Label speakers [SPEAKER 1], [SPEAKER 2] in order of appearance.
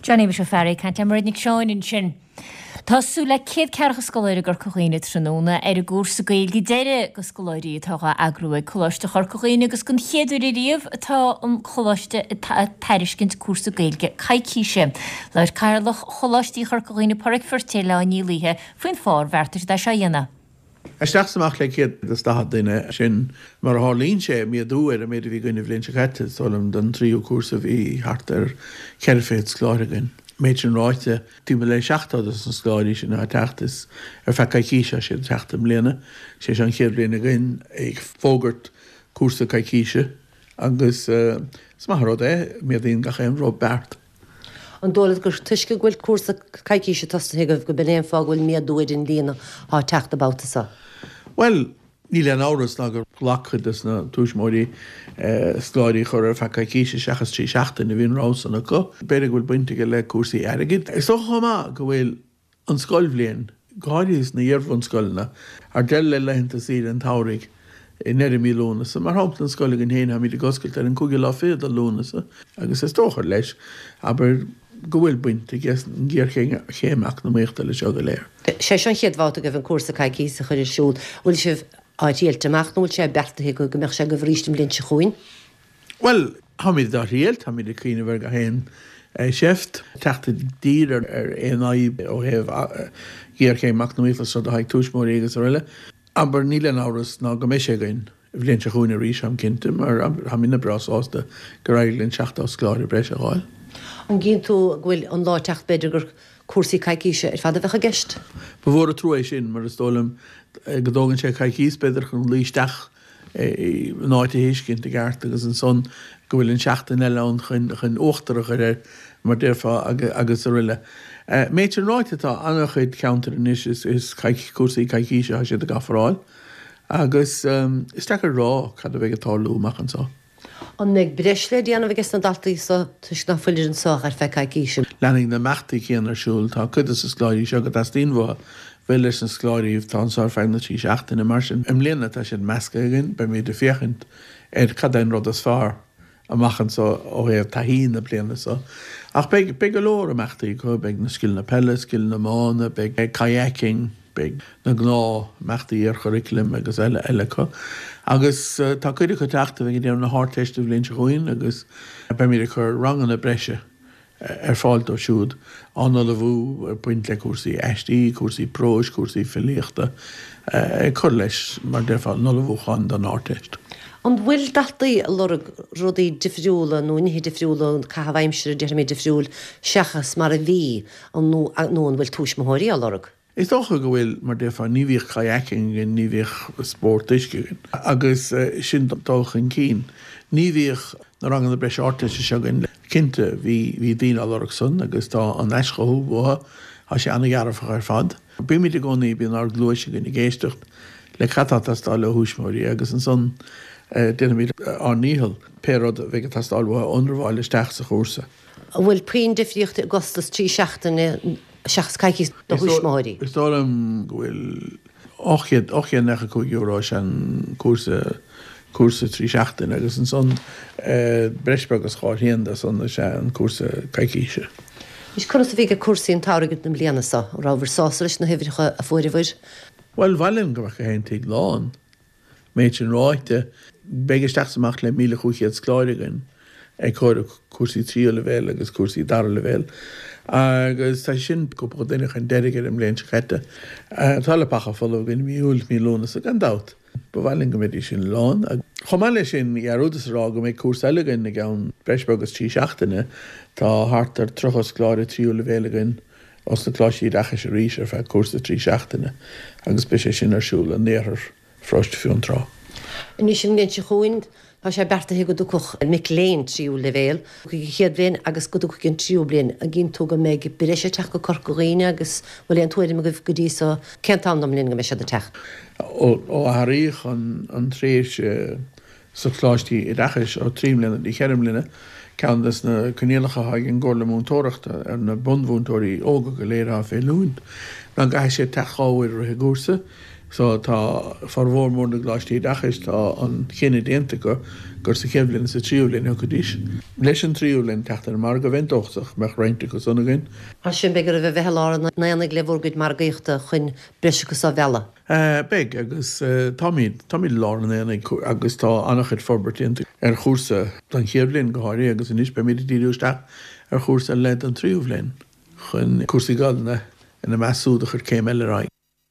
[SPEAKER 1] John Shéamuis Ó Fearraigh ag caint le Mairéad Nic Seáin ansin. Tá súil le 140 scoláire i gCorca Dhuibhne tráthnóna ar an gcúrsa Gaeilge deiridh do scoláirí atá dhá eagrú ag Coláiste Chorca Dhuibhne agus don chéad uair ariamh atá an Coláiste ag tairiscint cúrsa Gaeilge coicíse. Labhair Cathaoirleach Choláistí Chorca Dhuibhne Pádraic Feirtéar le Áine Ní Laoithe faoin fáth ar bheartaigh siad é seo a dhéanamh.
[SPEAKER 2] Isteach is amach le 140 duine, sin mar a tharlaíonn sé, méadú ar an méid a bhí againn an bhliain seo caite. Is dóigh liom don tríú cúrsa bhí thart ar 400 scoláire againn. Méid sin ráite, timpeall le 70 dos na scoláirí sin atá ag teacht, is ar feadh coicíse atá siad ag teacht i mbliana. Sé seo an chéad bhliain againn ag fógairt cúrsa coicíse agus is maith an rud é, méadaíonn gach aon rud beart.
[SPEAKER 3] An dóigh leat gur toisc go bhfuil cúrsa coicíse tosaithe agaibh go b'in é an fáth go bhfuil méadú ar an líon atá ag teacht an babhta seo?
[SPEAKER 2] Bhuel, níl aon amhras ná gur ghlac cuid de na tuismitheoirí scoláirí a chur ar feadh coicíse seachas 3 seachtaine, bhí an rogha san acu. B'fhéidir go bhfuil baint aige le cúrsaí airgid. Is dócha chomh maith go bhfuil an scoilbhliain, go háirithe sna hiar-bhunscoileanna, ar deireadh le laethanta saoire an tsamhraidh i ndeireadh mí Lúnasa. Mar shampla, an scoil againn féin, táimid ag oscailt ar an cúigiú lá fichead de Lúnasa agus is dócha leis, abair, go bhfuil baint ag an ghéarchéim eacnamaíochta leis seo go léir.
[SPEAKER 3] Sé seo an chéad bhabhta agaibh an cúrsa coicíse a chur ar siúl. Bhfuil sibh á thriailt amach nó bhfuil sé beartaithe agaibh go mbeadh sé agaibh arís an bhliain seo chugainn?
[SPEAKER 2] Bhuel, táimid á thriail, táimid ag cuimhneamh ar gach aon seift, teacht i dtír ar aon fhadhb ó thaobh géarchéim eacnamaíochta is rud atá ag tuismitheoirí agus araile. Abair, níl aon amhras ná go mbeidh sé againn an bhliain seo chugainn arís, táim cinnte, mar táimidne breá sásta gur éirigh linn 70 scoláire breise a fháil.
[SPEAKER 3] An gcíonn tú go bhfuil an lá ag teacht b'fhéidir gur cúrsaí coicíse ar fad a bheadh i gceist?
[SPEAKER 2] Ba mhór an trua é sin, mar is dóigh liom go dtógann sé coicís b'fhéidir chun luí isteach an áit a thuiscint i gceart agus ansan go bhfuil an seachtain eile ann chun uachtar a chur air mar déarfá agus aroile. Méid sin ráite tá an-chuid ceantar anois is cúrsaí coicíse atá siad ag ofráil agus is deacair a rá cad a bheidh ag tarlú amach anso.
[SPEAKER 3] An mbeidh breis le déanamh ages na daltaí so toisc ná fuilir anso ach ar feadh coicíse?
[SPEAKER 2] Leanfaidh na imeachtaí céanna ar siúl. Tá cuid de na scoláirí seo go dteastaíonn uathu bheith leis na scoláirí atá anso ar feadh na dtrí seachtaine. Mar sin, i mbliana tá siad measctha againn. Beimid ag féachaint ar cad é an rud is fearr amach anso ó thaobh taithí na bliana so. Ach beidh, beidh go leor imeachtaí acu, beidh na scileanna peile, scileanna iomána, beidh kayaking, Beidh na gnáth imeachtaí iarchuraclaim agus eile eile acu. Agus tá cuid acu ag teacht a bheidh ag déanamh na hArdteiste an bhliain seo chugainn agus beimid ag cur ranganna breise ar fáil dóibh siúd, á n-ullmhú ag baint le cúrsaí aistí, cúrsaí próis, cúrsaí filíochta, ag cur leis, mar déarfá, an ullmhúchán don Ardteist.
[SPEAKER 3] An bhfuil daltaí ag lorg rudaí difriúla nó nithe difriúla, caitheamh aimsire déarfaimid difriúil seachas mar a bhí nó an bhfuil tuismitheoirí á lorg?
[SPEAKER 2] Is dócha go bhfuil, mar déarfá, ní bhíodh kayaking againn, ní bhíodh spórt uisce againn, agus sin dul chun cinn. Ní bhíodh na ranganna breise Ardteiste seo againn. Cinnte, bhí, bhí daoine á lorg san agus tá an aischothú uathu, tá sé an-dhearfach ar fad. Bímid i gcónaí, bíonn ár gcluais againn ag éisteacht le cad tá ag teastáil ó thuismitheoirí agus ansan déanaimid ár ndícheall pé rud a bheidh ag teastáil uathu a ionramháil isteach sa chúrsa.
[SPEAKER 3] An bhfuil puinn difríochta i gcostas 3 seachtaine seachas coicís do thuismitheoirí?
[SPEAKER 2] Is dóigh liom go bhfuil €895 is ea an cúrsa, cúrsa 3 seachtaine agus ansan breis beag is dhá thrian de san is ea an cúrsa coicíse.
[SPEAKER 3] Anois conas a bhí ag cúrsaí an tsamhraidh na bliana seo? An rabhabhair sásta leis na huimhreacha a fuaireabhair?
[SPEAKER 2] Bhuel, ba mhaith linn go mbeadh gach aon tigh lán. Méid sin ráite, beidh isteach is amach le 1,500 scoláire againn ag comhaireamh cúrsaí tríú leibhéal agus cúrsaí dara leibhéal agus tá sin cúpla duine chun deiridh ar an mbliain seo caite. Tá leapacha folamh againn i mí Iúil, mí Lúnasa gan dabht. Ba mhaith linn go mbeidís sin lán. Chomh maith leis sin, dhearúdas a rá go mbeidh cúrsa eile againn i gceann breis beag is 3 seachtaine. Tá thart ar 30 scoláire tríú leibhéal againn os na Coláistí Oideachais arís ar feadh cúrsa 3 seachtaine agus beidh sé sin ar siúl in iarthar Pharóiste Fionntrá.
[SPEAKER 3] Anois an bhliain seo chugainn tá sé beartaithe go dtiocfadh mic léinn tríú leibhéal chuig an chéad bhliain agus go dtiocfaidh an tríú bliain. An gcíonn tú go mbeidh breis ag teacht go Corca Dhuibhne agus bhfuil aon tuairim agaibh go dtí so cén t-am den mbliain go mbeidh siad ag teacht?
[SPEAKER 2] Ó athraíodh an tréimhse sna coláistí oideachais ó 3 mbliana go dtí 4 mbliana, ceann des na coinníollacha atá ag an gComhairle Múinteoireachta ar na bunmhúinteoirí óga go léir atá fé oiliúint ná go gcaithfidh siad teacht dhá uair i rith an gcúrsa. So tá formhór mór na gcoláistí oideachais, tá an chinneadh déanta acu gur sa chéad bhliain is sa tríú bhliain a thiocfaidís. Leis an tríú bhliain teacht ar an margadh, bheinn dóchasach go mbeadh roinnt acu san againn.
[SPEAKER 3] Mar sin, beidh oraibh a bheith i lár an aonaigh le bhur gcuid margaíochta chun breis acu so a mhealladh.
[SPEAKER 2] Beidh, agus táimid. Táimid i lár an aonaigh agus tá an-chuid forbairt déanta ar chúrsa don chéad bhliain go háirithe agus anois beimid ag díriú isteach ar chúrsa ar leith don tríú bhliain chun cúrsaí Gaelainne ina measc súd a chur céim eile ar aghaidh.